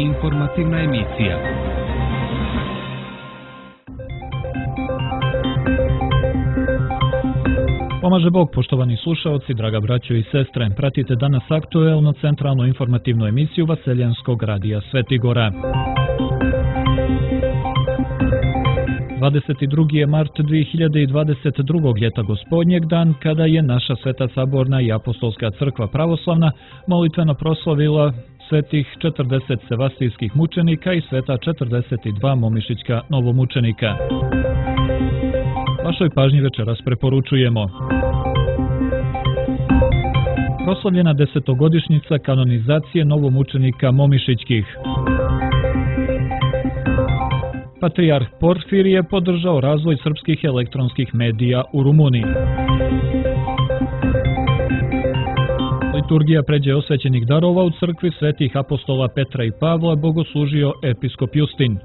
Informativna emisija. Pomaže Bog, poštovani slušaoci, draga braćo i sestre. Pratite danas aktuelno centralnu informativnu emisiju Vaseljanskog radija Svetigora. 22. je mart 2022. ljeta gospodnjeg, dan kada je naša Sveta Saborna i Apostolska crkva pravoslavna molitveno proslavila svetih 40 sevastijskih mučenika i sveta 42 momišićka novomučenika. Vašoj pažnji večeras preporučujemo proslavljena 10-godišnjica kanonizacije novomučenika momišićkih. Patrijarh Porfirije podržao razvoj srpskih elektronskih medija u Rumuniji. Liturgija pređe osvećenih darova u crkvi svetih apostola Petra i Pavla bogoslužio episkop Justin.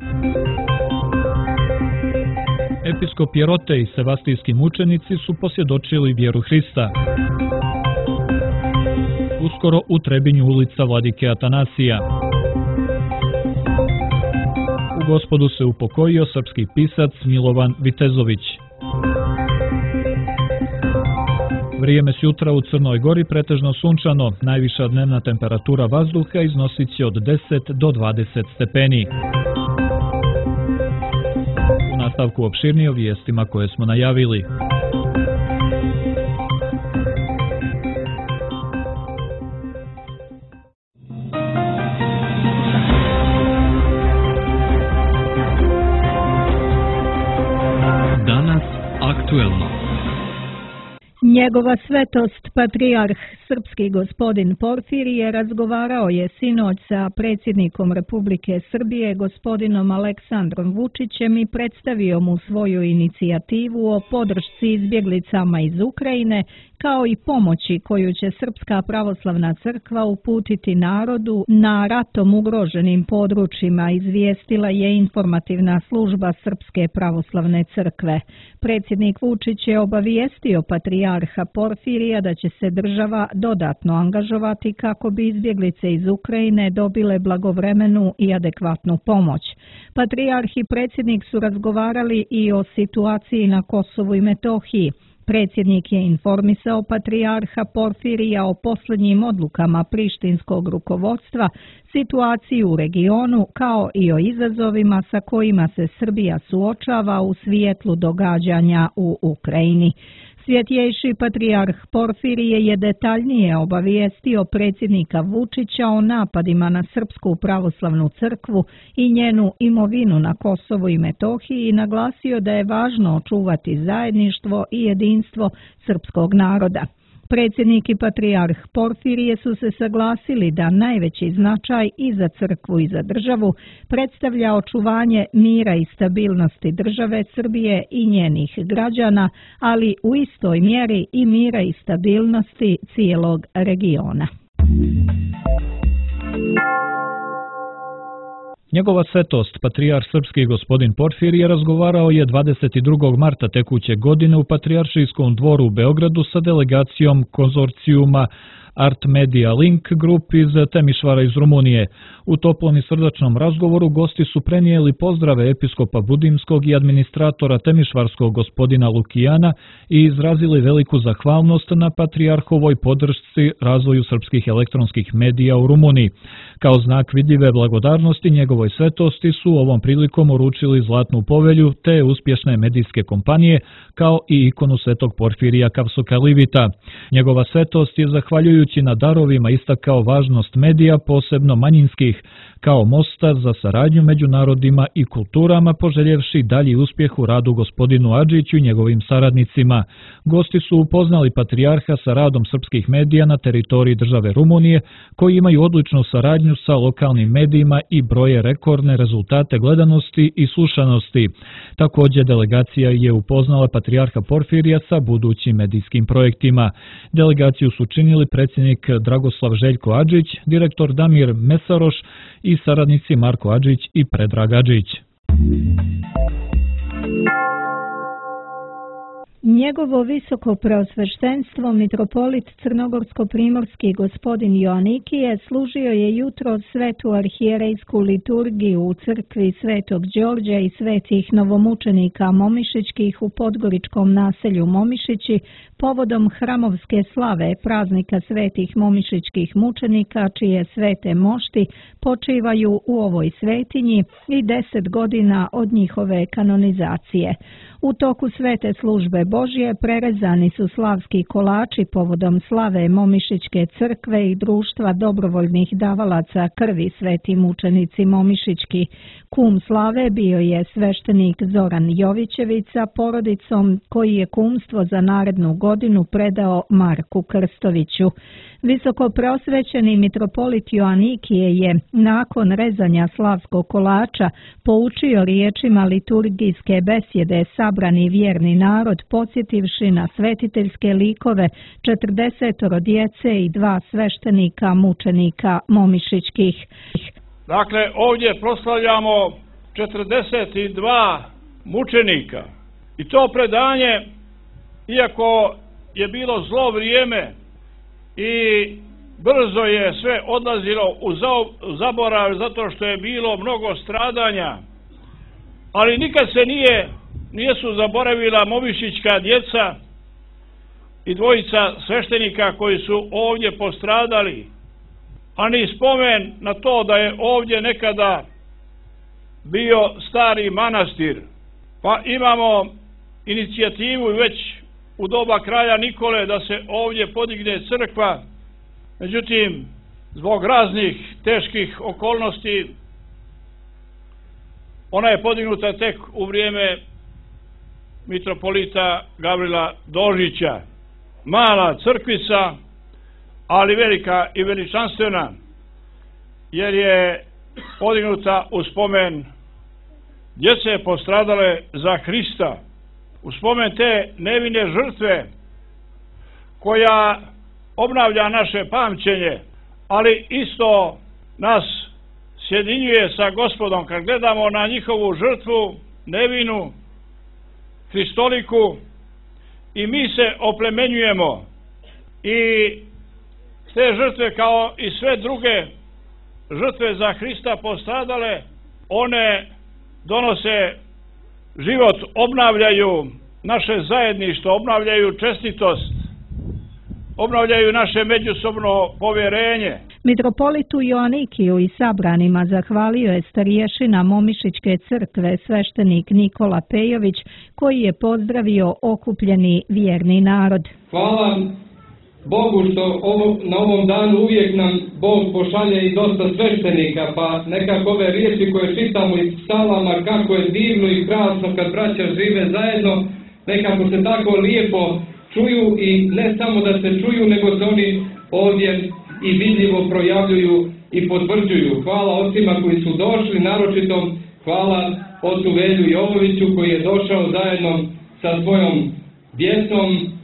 Episkop Jerote i sevastijski mučenici su posvjedočili vjeru Hrista. Uskoro u Trebinju ulica Vladike Atanasija. U Gospodu se upokojio srpski pisac Milovan Vitezović. Vrijeme s jutra u Crnoj Gori pretežno sunčano, najviša dnevna temperatura vazduha iznosit će od 10 do 20 stepeni. U nastavku opširnije o vijestima koje smo najavili. Danas aktuelno. Njegova svetost, patrijarh srpski gospodin Porfirije, razgovarao je sinoć sa predsjednikom Republike Srbije, gospodinom Aleksandrom Vučićem, i predstavio mu svoju inicijativu o podršci izbjeglicama iz Ukrajine, kao i pomoći koju će Srpska pravoslavna crkva uputiti narodu na ratom ugroženim područjima, izvijestila je informativna služba Srpske pravoslavne crkve. Predsjednik Vučić je obavijestio patrijarha Porfirija da će se država dodatno angažovati kako bi izbjeglice iz Ukrajine dobile blagovremenu i adekvatnu pomoć. Patrijarh i predsjednik su razgovarali i o situaciji na Kosovu i Metohiji. Predsjednik je informisao patrijarha Porfirija o posljednjim odlukama prištinskog rukovodstva, situaciji u regionu, kao i o izazovima sa kojima se Srbija suočava u svijetlu događanja u Ukrajini. Svjetjejši patrijarh Porfirije je detaljnije obavijestio predsjednika Vučića o napadima na Srpsku pravoslavnu crkvu i njenu imovinu na Kosovu i Metohiji i naglasio da je važno očuvati zajedništvo i jedinstvo srpskog naroda. Predsjednik i patrijarh Porfirije su se saglasili da najveći značaj i za crkvu i za državu predstavlja očuvanje mira i stabilnosti države Srbije i njenih građana, ali u istoj mjeri i mira i stabilnosti cijelog regiona. Njegova svetost, patrijarh srpski gospodin Porfirije, razgovarao je 22. marta tekuće godine u Patrijaršijskom dvoru u Beogradu sa delegacijom konzorcijuma Art Media Link Group iz Temišvara iz Rumunije. U toplom i srdačnom razgovoru gosti su prenijeli pozdrave episkopa Budimskog i administratora Temišvarskog gospodina Lukijana i izrazili veliku zahvalnost na patrijarhovoj podršci razvoju srpskih elektronskih medija u Rumuniji. Kao znak vidljive blagodarnosti njegovoj svetosti su ovom prilikom uručili zlatnu povelju te uspješne medijske kompanije, kao i ikonu svetog Porfirija Kavsokalivita. Njegova svetost je, zahvaljujući na darovima, istakao važnost medija, posebno manjinskih, kao mosta za saradnju među narodima i kulturama, poželjevši dalji uspjeh u radu gospodinu Adžiću i njegovim saradnicima. Gosti su upoznali patrijarha sa radom srpskih medija na teritoriji države Rumunije, koji imaju odličnu saradnju sa lokalnim medijima i broje rekordne rezultate gledanosti i slušanosti. Također, delegacija je upoznala patrijarha Porfirija sa budućim medijskim projektima. Delegaciju su činili predsjednik Dragoslav Željko Adžić, direktor Damir Mesaroš i saradnici Marko Adžić i Predrag Adžić. Njegovo visoko preosveštenstvo mitropolit crnogorsko-primorski gospodin Joanikije služio je jutro svetu arhijerejsku liturgiju u crkvi Svetog Đorđa i svetih novomučenika Momišićkih u podgoričkom naselju Momišići povodom hramovske slave praznika svetih momišićkih mučenika čije svete mošti počivaju u ovoj svetinji i 10 godina od njihove kanonizacije. U toku svete službe Božje prerezani su slavski kolači povodom slave Momišićke crkve i društva dobrovoljnih davalaca krvi sveti mučenici Momišićki. Kum slave bio je sveštenik Zoran Jovićević sa porodicom koji je kumstvo za narednu godinu predao Marku Krstoviću. Visoko preosvećeni mitropolit Joanikije je nakon rezanja slavskog kolača poučio riječima liturgijske besjede sabrani vjerni narod podsjetivši na svetiteljske likove 40 djece i 2 sveštenika mučenika Momišićkih. Dakle, ovdje proslavljamo 42 mučenika i to predanje, iako je bilo zlo vrijeme i brzo je sve odlazilo u zaborav zato što je bilo mnogo stradanja, ali nikad se nisu zaboravila momišićka djeca i 2 sveštenika koji su ovdje postradali, a ni spomen na to da je ovdje nekada bio stari manastir. Pa imamo inicijativu već u doba kralja Nikole da se ovdje podigne crkva, međutim zbog raznih teških okolnosti ona je podignuta tek u vrijeme mitropolita Gavrila Dožića. Mala crkvica, ali velika i veličanstvena, jer je podignuta u spomen djece postradale za Hrista, u spomen te nevine žrtve koja obnavlja naše pamćenje, ali isto nas sjedinjuje sa Gospodom kad gledamo na njihovu žrtvu nevinu, hristoliku, i mi se oplemenjujemo i te žrtve kao i sve druge žrtve za Hrista postradale, one donose život, obnavljaju naše zajedništvo, obnavljaju čestitost, obnavljaju naše međusobno povjerenje. Mitropolitu Joanikiju i sabranima zahvalio je starješina Momišićke crkve sveštenik Nikola Pejović koji je pozdravio okupljeni vjerni narod. Hvala Bogu što na ovom danu uvijek nam Bog pošalje i dosta sveštenika, pa nekako ove riječi koje čitamo iz psalama, kako je divno i krasno kad braća žive zajedno, nekako se tako lijepo čuju i ne samo da se čuju, nego se oni ovdje i vidljivo projavljuju i potvrđuju. Hvala ocima koji su došli, naročito hvala ocu Velju Jovoviću koji je došao zajedno sa svojom djecom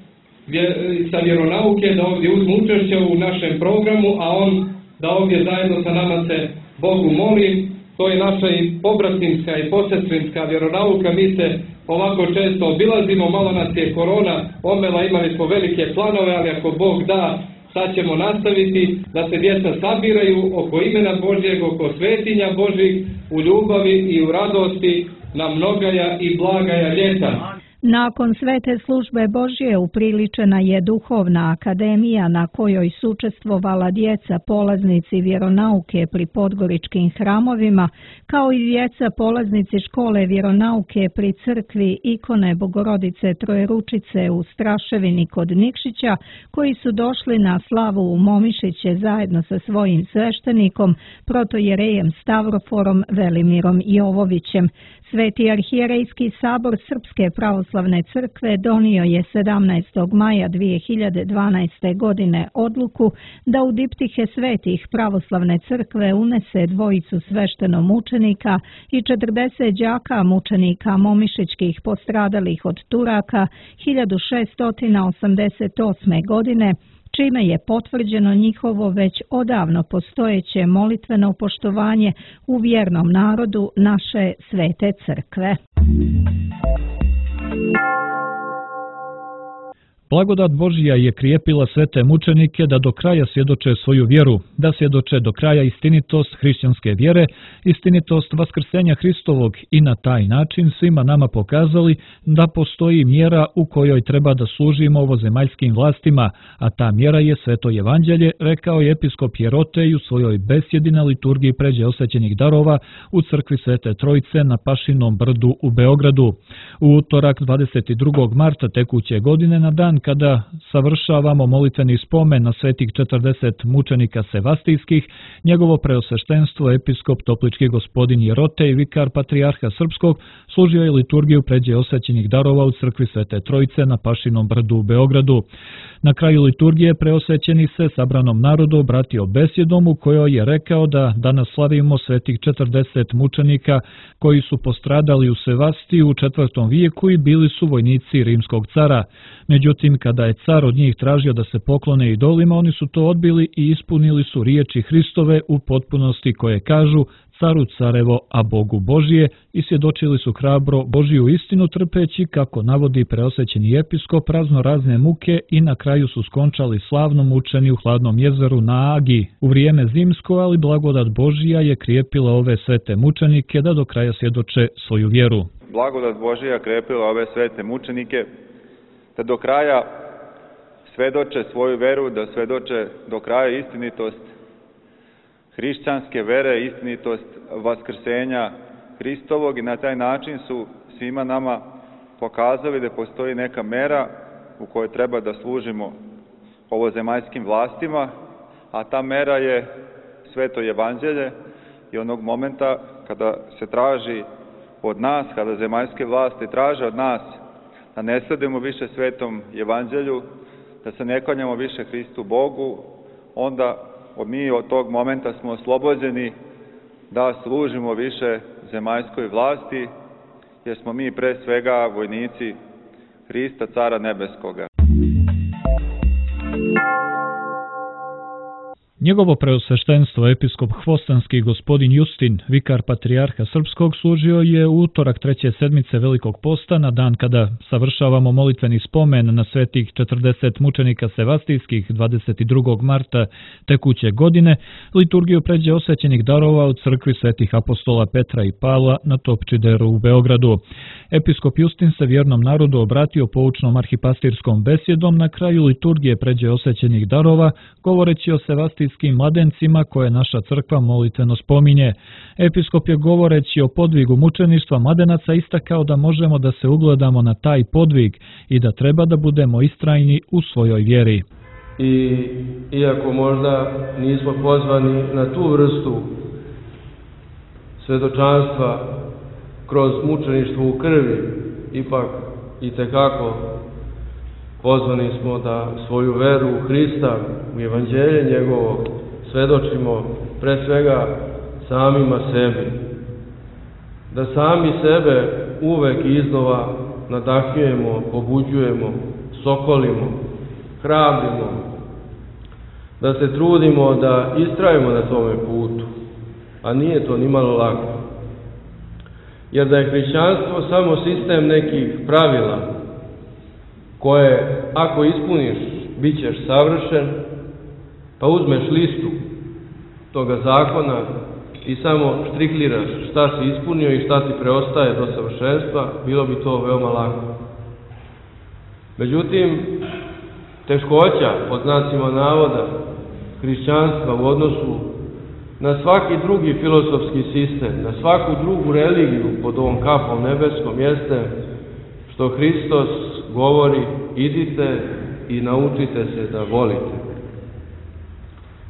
sa vjeronauke da ovdje uzmu učešće u našem programu, a on da ovdje zajedno sa nama se Bogu moli. To je naša i pobratimska i posestrinska vjeronauka. Mi se ovako često obilazimo, malo nas je korona omela, imali smo velike planove, ali ako Bog da, sad ćemo nastaviti da se djeca sabiraju oko imena Božjeg, oko svetinja Božjih, u ljubavi i u radosti na mnogaja i blagaja ljeta. Nakon svete službe Božje upriličena je duhovna akademija na kojoj su učestvovala djeca polaznici vjeronauke pri podgoričkim hramovima, kao i djeca polaznici škole vjeronauke pri crkvi ikone Bogorodice Trojeručice u Straševini kod Nikšića, koji su došli na slavu u Momišiće zajedno sa svojim sveštenikom, protojerejem Stavroforom Velimirom Jovovićem. Sveti arhijerejski sabor Srpske pravoslavne crkve donio je 17. maja 2012. godine odluku da u diptihe svetih pravoslavne crkve unese 2 sveštenomučenika i 40 đaka mučenika momišićkih postradalih od Turaka 1688. godine, čime je potvrđeno njihovo već odavno postojeće molitveno poštovanje u vjernom narodu naše svete crkve. Blagodat Božija je krijepila svete mučenike da do kraja svjedoče svoju vjeru, da svjedoče do kraja istinitost hrišćanske vjere, istinitost vaskrsenja Hristovog i na taj način svima nama pokazali da postoji mjera u kojoj treba da služimo ovozemaljskim vlastima, a ta mjera je sveto evanđelje, rekao je episkop Jerotej u svojoj besjedi na liturgiji pređe osvećenih darova u crkvi Svete Trojice na Pašinom brdu u Beogradu. U utorak 22. marta tekuće godine, na dan kada savršavamo molitveni spomen na svetih 40 mučenika sevastijskih, njegovo preosveštenstvo episkop Toplički gospodin Jerotej, vikar patrijarha srpskog, služio je liturgiju pređe osvećenih darova u crkvi Svete Trojice na Pašinom brdu u Beogradu. Na kraju liturgije preosvećeni se sabranom narodu obratio besjedom u kojoj je rekao da danas slavimo svetih 40 mučenika koji su postradali u Sevastiji u IV. Vijeku i bili su vojnici rimskog cara. Međutim, kada je car od njih tražio da se poklone idolima, oni su to odbili i ispunili su riječi Hristove u potpunosti koje kažu caru carevo, a Bogu Božije, i svjedočili su hrabro Božiju istinu trpeći, kako navodi preosvećeni episkop, razno razne muke i na kraju su skončali slavno mučeni u hladnom jezeru na Agi. U vrijeme zimsko, ali blagodat Božija je krijepila ove svete mučenike da do kraja svjedoče svoju vjeru. Blagodat Božija krijepila ove svete mučenike da do kraja svedoče svoju veru, da svedoče do kraja istinitost hrišćanske vere, istinitost vaskrsenja Hristovog, i na taj način su svima nama pokazali da postoji neka mera u kojoj treba da služimo ovozemaljskim vlastima, a ta mera je sveto evanđelje, i onog momenta kada se traži od nas, kada zemaljske vlasti traže od nas da ne sledimo više svetom evanđelju, da se ne klanjamo više Hristu Bogu, onda mi od tog momenta smo oslobođeni da služimo više zemaljskoj vlasti, jer smo mi pre svega vojnici Hrista, Cara Nebeskoga. Njegovo preosveštenstvo episkop Hvostanski gospodin Justin, vikar patrijarha srpskog, služio je u utorak 3. sedmice Velikog posta, na dan kada savršavamo molitveni spomen na svetih 40 mučenika sevastijskih 22. marta tekuće godine, liturgiju pređe osvećenih darova u crkvi svetih apostola Petra i Pavla na Topčideru u Beogradu. Episkop Justin se vjernom narodu obratio poučnom arhipastirskom besjedom na kraju liturgije pređe osvećenih darova, govoreći o sevastijskim mladencima koje naša crkva molitveno spominje. Episkop je govoreći o podvigu mučeništva mladenaca istakao da možemo da se ugledamo na taj podvig i da treba da budemo istrajni u svojoj vjeri. I iako možda nismo pozvani na tu vrstu svedočanstva kroz mučeništvo u krvi, ipak itekako pozvani smo da svoju veru u Hrista, u evanđelje njegovo, svedočimo pre svega samima sebi. Da sami sebe uvek iznova nadahnjujemo, pobuđujemo, sokolimo, hrabrimo, da se trudimo da istrajemo na tome putu, a nije to nimalo lako. Jer da je hrišćanstvo samo sistem nekih pravila koje, ako ispuniš, bit ćeš savršen, pa uzmeš listu toga zakona i samo štrikliraš šta si ispunio i šta ti preostaje do savršenstva, bilo bi to veoma lako. Međutim, teškoća, pod znacima navoda, hrišćanstva u odnosu na svaki drugi filozofski sistem, na svaku drugu religiju pod ovom kapom nebeskom, jeste što Hristos govori: idite i naučite se da volite.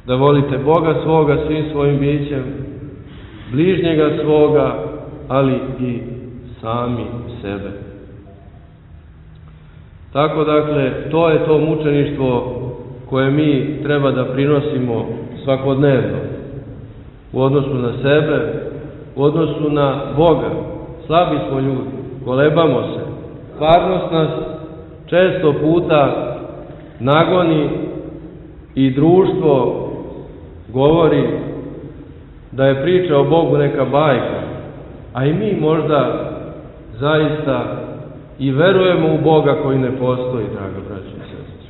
Da volite Boga svoga svim svojim bićem, bližnjega svoga, ali i sami sebe. Tako dakle, to je to mučeništvo koje mi treba da prinosimo svakodnevno u odnosu na sebe, u odnosu na Boga. Slabi smo ljudi, kolebamo se. Stvarnost nas često puta nagoni i društvo govori da je priča o Bogu neka bajka, a i mi možda zaista i verujemo u Boga koji ne postoji, draga braćo i sestre.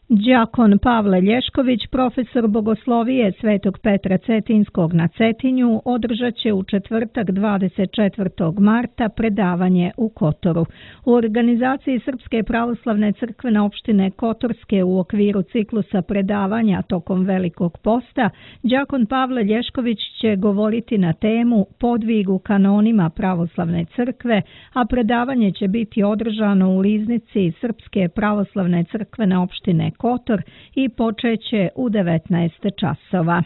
Đakon Pavle Lješković, profesor bogoslovije Svetog Petra Cetinskog na Cetinju, održat će u četvrtak 24. marta predavanje u Kotoru. U organizaciji Srpske pravoslavne crkvene opštine Kotorske u okviru ciklusa predavanja tokom Velikog posta, đakon Pavle Lješković će govoriti na temu Podvig u kanonima pravoslavne crkve, a predavanje će biti održano u riznici Srpske pravoslavne crkvene opštine Kotor i počeće u 19 časova.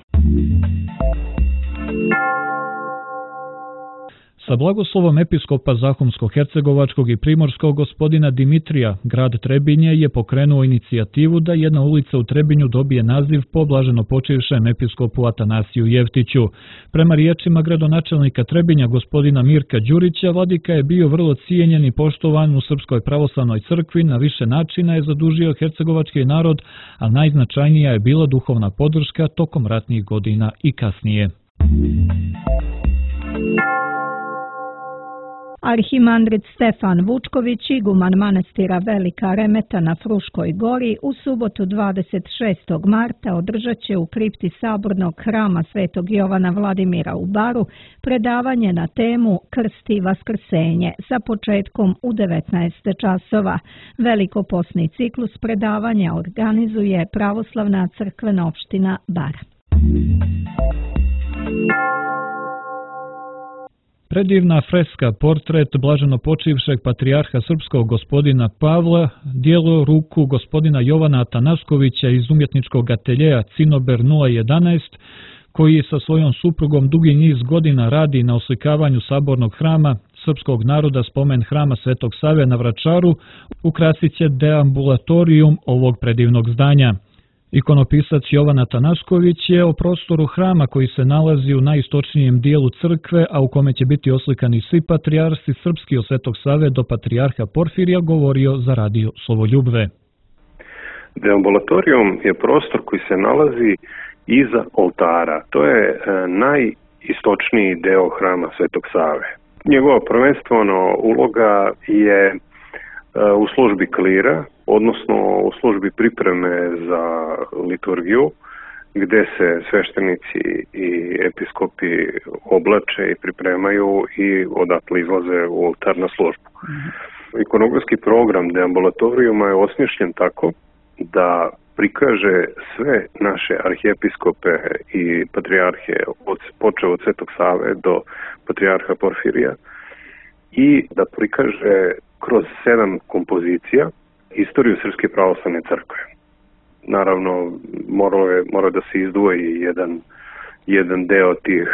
Sa blagoslovom episkopa Zahumsko-hercegovačkog i primorskog gospodina Dimitrija, grad Trebinje je pokrenuo inicijativu da jedna ulica u Trebinju dobije naziv po blaženopočivšem episkopu Atanasiju Jevtiću. Prema riječima gradonačelnika Trebinja gospodina Mirka Đurića, vladika je bio vrlo cijenjen i poštovan u Srpskoj pravoslavnoj crkvi, na više načina je zadužio hercegovački narod, a najznačajnija je bila duhovna podrška tokom ratnih godina i kasnije. Arhimandrit Stefan Vučković, iguman manastira Velika Remeta na Fruškoj gori, u subotu 26. marta održat će u kripti sabornog hrama Svetog Jovana Vladimira u Baru predavanje na temu Krst i vaskrsenje sa početkom u 19 časova. Velikoposni ciklus predavanja organizuje Pravoslavna crkvena opština Bar. Predivna freska portret blaženopočivšeg patrijarha srpskog gospodina Pavla, djelo ruku gospodina Jovana Atanaskovića iz umjetničkog ateljeja Cinober 011, koji sa svojom suprugom dugi niz godina radi na oslikavanju sabornog hrama srpskog naroda spomen hrama Svetog Save na Vračaru, ukrasit će deambulatorijum ovog predivnog zdanja. Ikonopisac Jovan Atanasković je o prostoru hrama koji se nalazi u najistočnijem dijelu crkve, a u kome će biti oslikani svi patrijarsi srpski od Svetog Save do patrijarha Porfirija, govorio za radio Slovoljubve. Deambulatorijum je prostor koji se nalazi iza oltara. To je najistočniji deo hrama Svetog Save. Njegova prvenstveno uloga je u službi klira, odnosno u službi pripreme za liturgiju, gde se sveštenici i episkopi oblače i pripremaju i odatle izlaze u oltarnu službu. Ikonografski program deambulatorijuma je osmišljen tako da prikaže sve naše arhijepiskope i patrijarhe, počeo od Svetog Save do patrijarha Porfirija, i da prikaže kroz 7 kompozicija istoriju Srpske pravoslavne crkve. Naravno, mora da se izdvoji jedan deo tih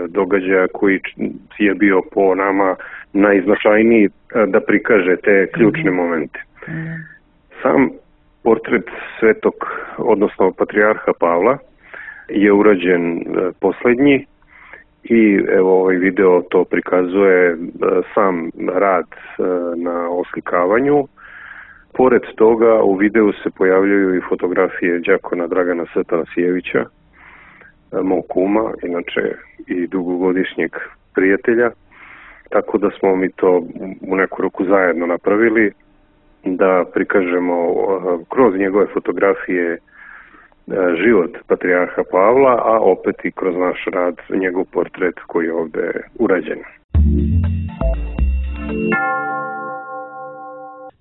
događaja koji je bio po nama najznačajniji da prikaže te ključne momente. Sam portret svetog, odnosno patrijarha Pavla, je urađen poslednji i evo ovaj video to prikazuje sam rad na oslikavanju. Pored toga u videu se pojavljaju i fotografije đakona Dragana Satanasijevića, mog kuma, inače i dugogodišnjeg prijatelja, tako da smo mi to u neku ruku zajedno napravili, da prikažemo kroz njegove fotografije život patrijarha Pavla, a opet i kroz naš rad njegov portret koji je ovde urađen.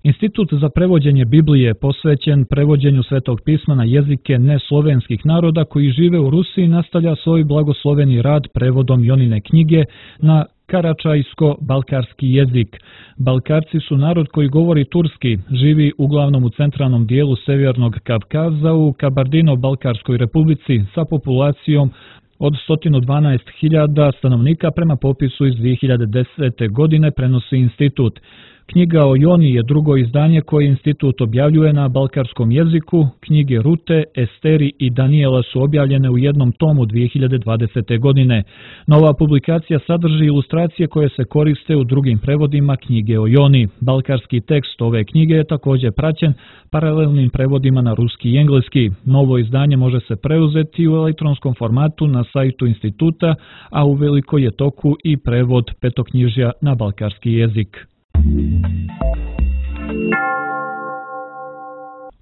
Institut za prevođenje Biblije posvećen prevođenju Svetog pisma na jezike neslovenskih naroda koji žive u Rusiji nastavlja svoj blagosloveni rad prevodom Jonine knjige na karačajsko-balkarski jezik. Balkarci su narod koji govori turski, živi uglavnom u centralnom dijelu Severnog Kavkaza u Kabardino-Balkarskoj republici sa populacijom od 112.000 stanovnika prema popisu iz 2010. godine, prenosi institut. Knjiga o Joni je drugo izdanje koje institut objavljuje na balkarskom jeziku. Knjige Rute, Esteri i Danijela su objavljene u jednom tomu 2020. godine. Nova publikacija sadrži ilustracije koje se koriste u drugim prevodima knjige o Joni. Balkarski tekst ove knjige je također praćen paralelnim prevodima na ruski i engleski. Novo izdanje može se preuzeti u elektronskom formatu na sajtu instituta, a uveliko je toku i prevod petoknjižja na balkarski jezik.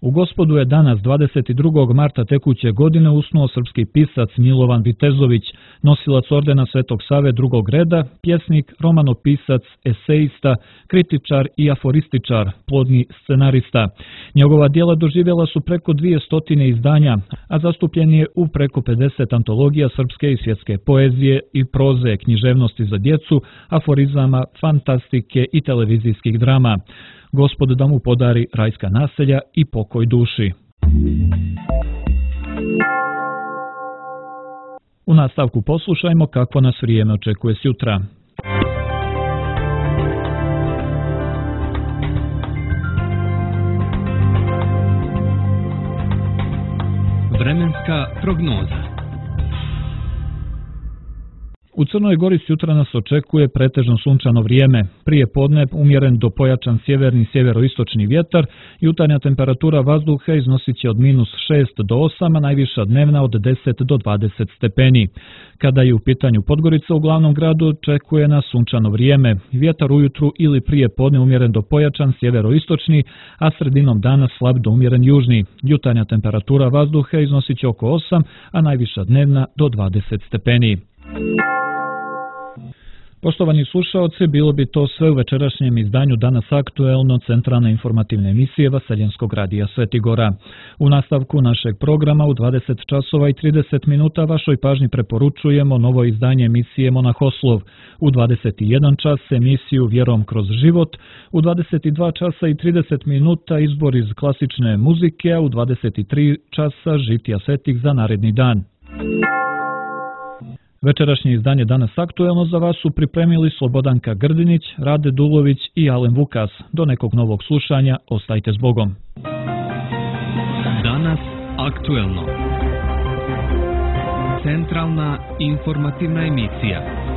U Gospodu je danas 22. marta tekuće godine usnuo srpski pisac Milovan Vitezović, nosilac ordena Svetog Save drugog reda, pjesnik, romanopisac, esejista, kritičar i aforističar, plodni scenarista. Njegova djela doživjela su preko 200 izdanja, a zastupljen je u preko 50 antologija srpske i svjetske poezije i proze, književnosti za djecu, aforizama, fantastike i televizijskih drama. Gospod da mu podari rajska naselja i pokoj duši. U nastavku poslušajmo kako nas vrijeme očekuje sutra. Vremenska prognoza. U Crnoj Gori sutra nas očekuje pretežno sunčano vrijeme. Prije podne umjeren do pojačan sjeverni sjeveroistočni vjetar, jutarnja temperatura vazduha iznosit će od -6 do 8, a najviša dnevna od 10 do 20 stepeni. Kada je u pitanju Podgorica, u glavnom gradu očekuje nas sunčano vrijeme. Vjetar ujutru ili prije podne umjeren do pojačan sjeveroistočni, a sredinom dana slab do umjeren južni. Jutarnja temperatura vazduha iznosit će oko 8, a najviša dnevna do 20 stepeni. Poštovani slušaoci, bilo bi to sve u večerašnjem izdanju Danas aktuelno centralne informativne emisije Vaseljenskog radija Svetigora. U nastavku našeg programa u 20 časova i 30 minuta vašoj pažnji preporučujemo novo izdanje emisije Monahoslov. U 21 čas emisiju Vjerom kroz život, u 22 časa i 30 minuta izbor iz klasične muzike, a u 23 časa žitija svetih za naredni dan. Večerašnje izdanje Danas aktuelno za vas su pripremili Slobodanka Grdinić, Rade Dulović i Alen Vukas. Do nekog novog slušanja, ostajte s Bogom. Danas aktuelno. Centralna informativna emisija.